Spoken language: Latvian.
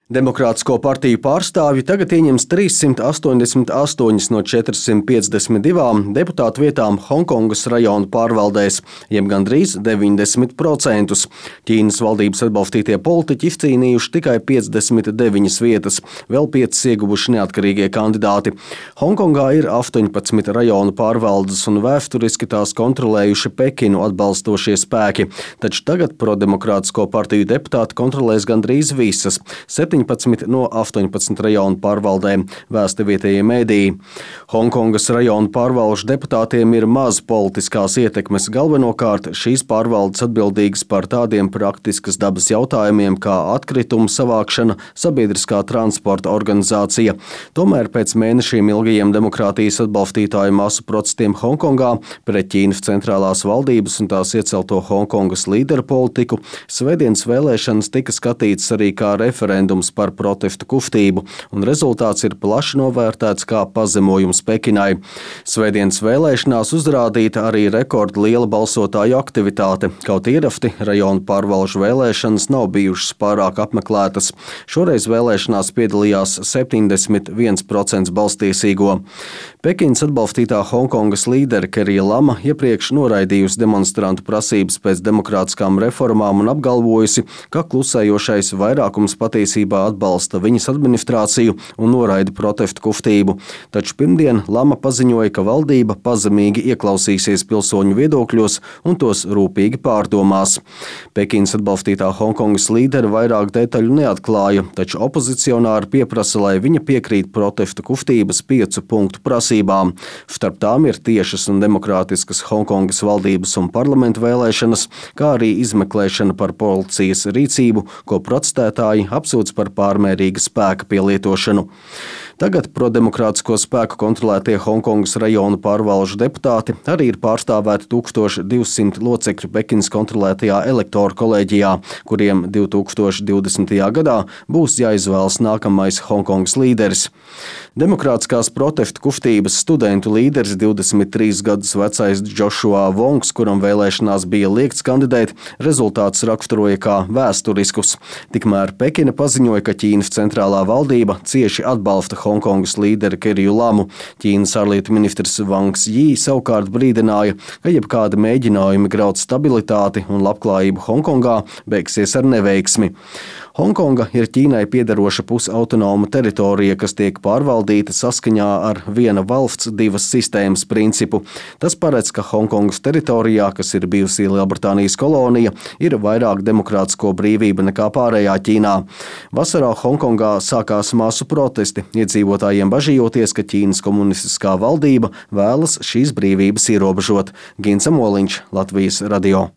Demokrātisko partiju pārstāvji tagad ieņems 388 no 452 deputātu vietām Honkongas rajona pārvaldēs, jeb gandrīz 90%. Ķīnas valdības atbalstītie politiķi izcīnījuši tikai 59 vietas, vēl 5 ieguvuši neatkarīgie kandidāti. Hongkongā ir 18 rajonu pārvaldes un vēsturiski tās kontrolējuši Pekinu atbalstošie spēki, taču tagad prodemokrātisko partiju deputāti kontrolēs gandrīz visas, 17 no 18 rajonu pārvaldēm, vēsta vietējie mediji. Hongkongas rajonu pārvalžu deputātiem ir maz politiskās ietekmes, galvenokārt šīs pārvaldes atbildīgas par tādiem praktiskas dabas jautājumiem kā atkritumu savākšana, sabiedriskā transporta organizācija. Tomēr pēc mēnešiem ilgajiem demokrātijas atbalstītāju masu protestiem Hongkongā pret Ķīnas centrālās valdības un tās iecelto Hongkongas līderu politiku, svētdienas vēlēšanas tika skatītas arī kā referendums par protestu kustību, un rezultāts ir plaši novērtēts kā pazemojums Pekinai. Svētdienas vēlēšanās uzrādīta arī rekordliela balsotāju aktivitāte, kaut ierasti rajonu pārvalžu vēlēšanas nav bijušas pārāk apmeklētas. Šoreiz vēlēšanās piedalījās 71% balsstiesīgo. Pekinas atbalstītā Hongkongas līdere Kerija Lama iepriekš noraidījusi demonstrantu prasības pēc demokrātiskām reformām un apgalvojusi, ka klusējošais vairākums patiesībā atbalsta viņas administrāciju un noraida protestu kustību. Taču pirmdien Lama paziņoja, ka valdība pazemīgi ieklausīsies pilsoņu viedokļos un tos rūpīgi pārdomās. Pekinas atbalstītā Hongkongas līdere vairāk detaļu neatklāja, taču opozicionāri pieprasa, lai viņa piekrīt protestu kustības 5 punktu prasībām. Starp tām ir tiešas un demokrātiskas Hongkongas valdības un parlamentu vēlēšanas, kā arī izmeklēšana par policijas rīcību, ko protestētāji apsūdz par pārmērīga spēka pielietošanu. Tagad prodemokrātisko spēku kontrolētie Hongkongas rajonu pārvalžu deputāti arī ir pārstāvēti 1200 locekļu Pekinas kontrolētajā elektoru kolēģijā, kuriem 2020. gadā būs jāizvēlas nākamais Hongkongas līderis. Demokrātiskās protestu kustības studentu līderis 23 gadus vecais Joshua Vongs, kuram vēlēšanās bija liegts kandidēt, rezultātus raksturoja kā vēsturiskus. Tikmēr Pekina paziņoja, ka Ķīnas centrālā valdība cieši atbalsta Hongkongas līderi Keriju Lamu. Ķīnas ārlietu ministrs Vangs Jī savukārt brīdināja, ka jebkādi mēģinājumi graut stabilitāti un labklājību Hongkongā beigsies ar neveiksmi. Hongkonga ir Ķīnai piederoša pusautonoma teritorija, kas tiek pārvaldīta saskaņā ar viena valsts divas sistēmas principu. Tas paredz, ka Hongkongas teritorijā, kas ir bijusi Lielbritānijas kolonija, ir vairāk demokrātisko brīvību nekā pārējā Ķīnā. Vasarā Hongkongā sākās masu protesti, iedzīvotājiem bažījoties, ka Ķīnas komunistiskā valdība vēlas šīs brīvības ierobežot. Gins Amoliņš, Latvijas radio.